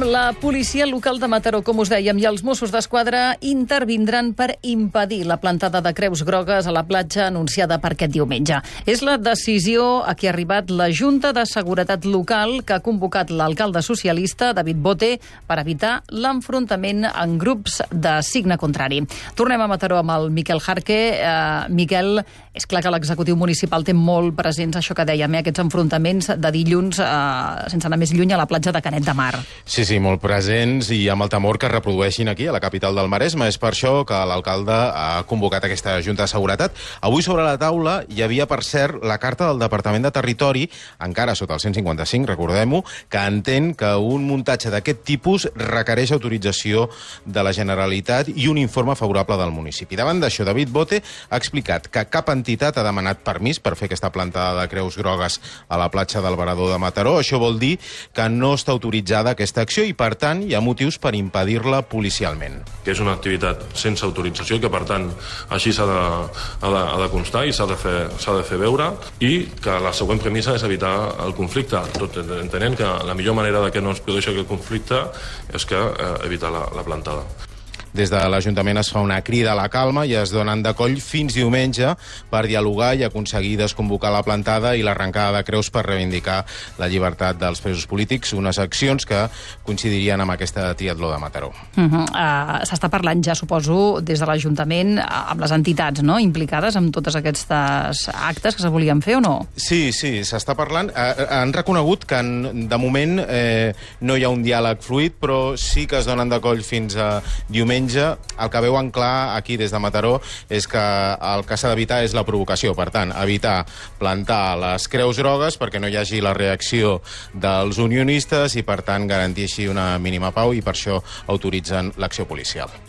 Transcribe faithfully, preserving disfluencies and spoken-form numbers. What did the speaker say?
La policia local de Mataró, com us dèiem, i els Mossos d'Esquadra intervindran per impedir la plantada de creus grogues a la platja anunciada per aquest diumenge. És la decisió a què ha arribat la Junta de Seguretat Local, que ha convocat l'alcalde socialista, David Bote, per evitar l'enfrontament en grups de signe contrari. Tornem a Mataró amb el Miquel Jarque. Uh, Miquel, és clar que l'executiu municipal té molt presents això que dèiem, eh? aquests enfrontaments de dilluns, uh, sense anar més lluny, a la platja de Canet de Mar. Sí, sí, molt presents i amb el temor que es reprodueixin aquí, a la capital del Maresme. És per això que l'alcalde ha convocat aquesta Junta de Seguretat. Avui sobre la taula hi havia, per cert, la carta del Departament de Territori, encara sota el cent cinquanta-cinc, recordem-ho, que entén que un muntatge d'aquest tipus requereix autorització de la Generalitat i un informe favorable del municipi. Davant d'això, David Bote ha explicat que cap entitat ha demanat permís per fer aquesta plantada de creus grogues a la platja del Varador de Mataró. Això vol dir que no està autoritzada aquesta acció i, per tant, hi ha motius per impedir-la policialment. Que és una activitat sense autorització i que, per tant, així s'ha de, ha de, ha de constar i s'ha de, fer, s'ha de fer veure, i que la següent premissa és evitar el conflicte, tot entenent que la millor manera de que no es produeixi aquest conflicte és que eh, evitar la, la plantada. Des de l'Ajuntament es fa una crida a la calma i es donen de coll fins diumenge per dialogar i aconseguir desconvocar la plantada i l'arrencada de creus per reivindicar la llibertat dels presos polítics, unes accions que coincidirien amb aquesta triatló de Mataró. Uh -huh. uh, S'està parlant ja, suposo, des de l'Ajuntament amb les entitats, no?, implicades en tots aquests actes que se volien fer o no? Sí, sí, s'està parlant. Uh, han reconegut que en, de moment eh, no hi ha un diàleg fluid, però sí que es donen de coll fins a diumenge. El que veuen clar aquí des de Mataró és que el que s'ha d'evitar és la provocació. Per tant, evitar plantar les creus grogues perquè no hi hagi la reacció dels unionistes i, per tant, garantir així una mínima pau, i per això autoritzen l'acció policial.